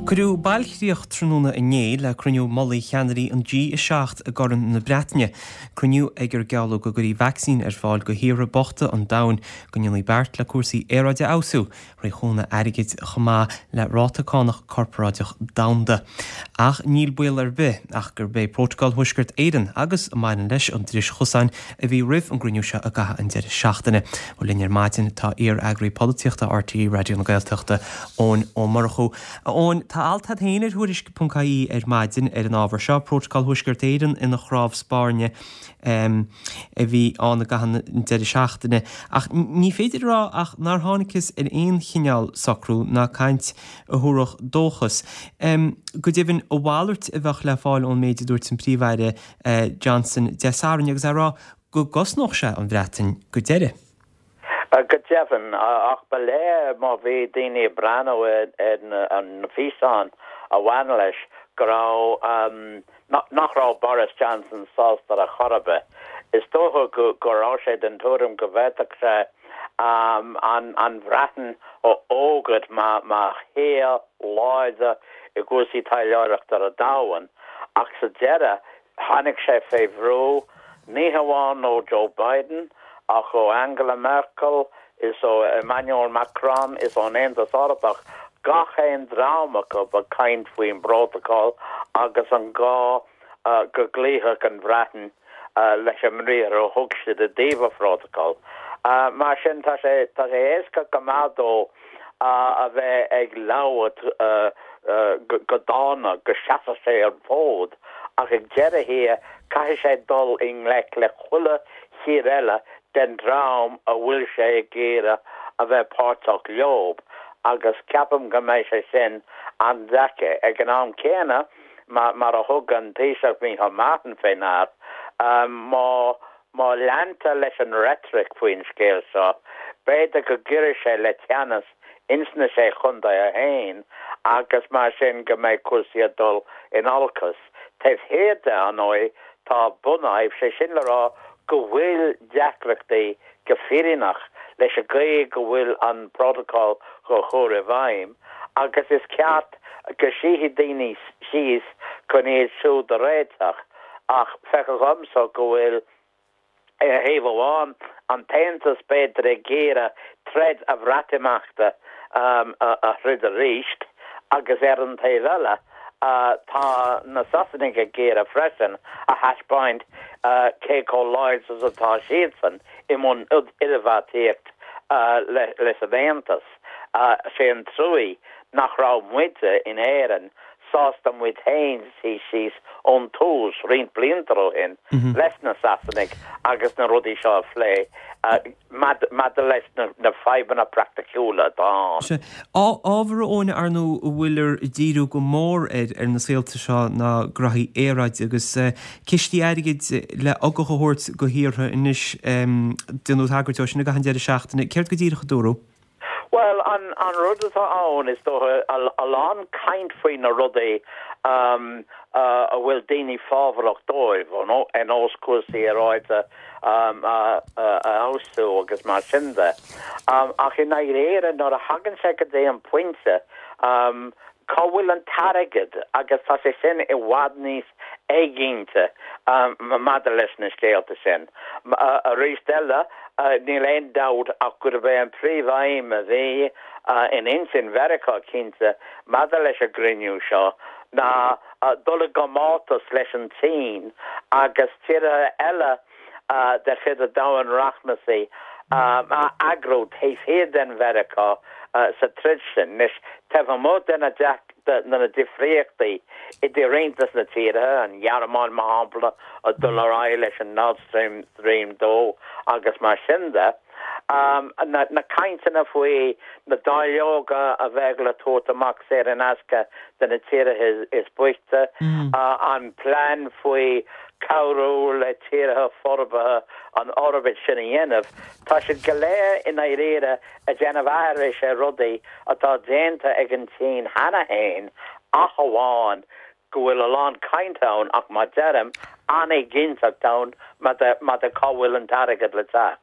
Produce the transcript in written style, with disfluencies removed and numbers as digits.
Cuireadh bailchríoch tráthnóna inné le cruinniú mullaigh cheannairí an G7 i gCorn na Breataine, cruinniú ag ar gealladh go gcuirfí vacsaín ar fáil do thíortha bochta an domhain, go ndéanfaí beart le cúrsaí aeráide a fheabhsú, faoi chúnamh airgid chomh maith le ráta cánach corparáideach domhanda. Ach níl baol ar bith ach gurb é Prótacal Thuaisceart Éireann agus a mbaineann leis an dris chosáin a bhí roimh an gcruinniú seo i gcaitheamh an deireadh seachtaine. Bhuel linn ar maidin tá iar-eagraí polaitíochta RTÉ Raidió na Gaeltachta, Eoin Ó Murchú. A Eoin, tá alt agat féin ar Tuairisc.ie ar maidin ar an ábhar seo, Prótacal Thuaisceart Éireann ina chnámh spairne. a bhí ann i gcaitheamh an deireadh seachtaine, ach ní féidir a rá ach nár thángthas ar aon chineál socrú ná caint a thabharfadh dóchas. Go deimhin, a mhalairt a bheadh le fáil ón méid a dúirt an Príomh-Aire Johnson Dé Sathairn agus é ag rá go gcosnódh sé an Bhreatain go deireadh. Go deimhin, ach ba léir má bhí daoine ag breathnú ar na físeáin a bhain leis go raibh, nach raibh Boris Johnson sásta ar chor ar bith. Is dócha go raibh sé den tuairim go bhféadfadh sé an Bhreatain a fhógairt mar thír láidir i gcúrsaí taidhleoireachta ar an domhan ach sa deireadh Tháinig sé fé bhrú, ní hamháin ó Joe Biden, ach ó Angela Merkel is ó Emmanuel Macron is ón Aontas Eorpach, gach aon dream acu ag caint faoin bprótacal agus an gá go gcloífeadh an Bhreatain leis an mbriathar a thug siad i dtaobh an phrótacail. Mar sin, tá sé éasca go maith dó a bheith ag labhairt go dána, go seasfadh sé an fód, ach ag deireadh thiar caithfidh sé dul i ngleic le chuile thír eile den dream a bhfuil sé ag iarraidh a bheith páirteach leob, agus ceapaim go mbeidh sé sin an-deacair. Ag an am céanna, mar a thug an Taoiseach Micheál Martin fé ndear, má Má leantar leis an reitric faoin scéal seo, b'fhéidir go gcuirfidh sé le teannas ins na Sé Chontae féin agus mar sin go mbeidh cúrsaí ag dul in olcas. Taobh thiar de, ar ndóigh, tá bunfhadhb, sé sin le rá go bhfuil deacrachtaí go fírinneach leis an gcaoi go bhfuil an Prótacal dhá chur i bhfeidhm agus is ceart go suífidh daoine síos chun iad siúd a réiteach. Ach feictear dhomsa go bhfuil, ar thaobh amháin, an tAontas b'fhéidir ag iarraidh troid an Bhreatimeachta a throid arís agus ar an taobh eile tá na Sasanaigh ag iarraidh freisin a thaispeáint cé chomh láidir is atá siadsan i mbun idirbheartaíocht leis an Aontas. Sé an truaí nach raibh muide in Éirinn sásta muid féin suí síos ón tús, roinnt blianta ó shin, leis na Sasanaigh agus na rudaí seo a phlé maidir leis na fadhbanna praiticiúla atá ann. Sea. Ábhar, a Eoin, ar ndóigh, a bhfuiltear ag díriú go mór air ar na saolta seo ná graithí aeráide agus cistí airgid le ugach a thabhairt do thíortha anois. Déanadh tagairt dó sin i gcaitheamh an deireadh seachtaine. Céard go díreach a dúradh? Bhuel, an rud atá ann, is dócha, a lán caint faoi na rudaí a bhfuil daoine fábharach dóibh, ar nós cúrsaí aeráide a fheabhsú agus mar sin de. Ach i ndáiríre, nuair a thagann sé go dtí an pointe, Cá bhfuil an t-airgead? Agus tá sé sin i bhfad níos éiginnte maidir leis na scéalta sin. Arís eile, níl aon dabht ach gurb é an príomhaidhm a bhí in intinn Mheiriceá, cinnte, maidir leis an gcruinniú seo ná dul i gcomórtas leis an tSín agus tíortha eile de chuid an domhain rachmasaigh a eagrú taobh thiar den Mheiriceá sa troid sin. Anois, taobh amuigh de na difríochtaí idir roinnt de na tíortha, an Ghearmáin, mar shampla, ag dul ar aghaidh leis an Nord Stream 2 agus mar sin de, na cainteanna faoi na dáileoga a bheadh le tabhairt amach saor in aisce do na tíortha is boichte, an plean faoi cabhrú le tíortha forbartha an fhorbairt sin a dhéanamh, tá siad go léir i ndáiríre ag déanamh aithris ar rudaí atá déanta ag an tSín cheana féin ach amháin go bhfuil a lán cainte ann ach mar deirim, an-éiginnteacht ann maidir cá bhfuil an t-airgead le teacht.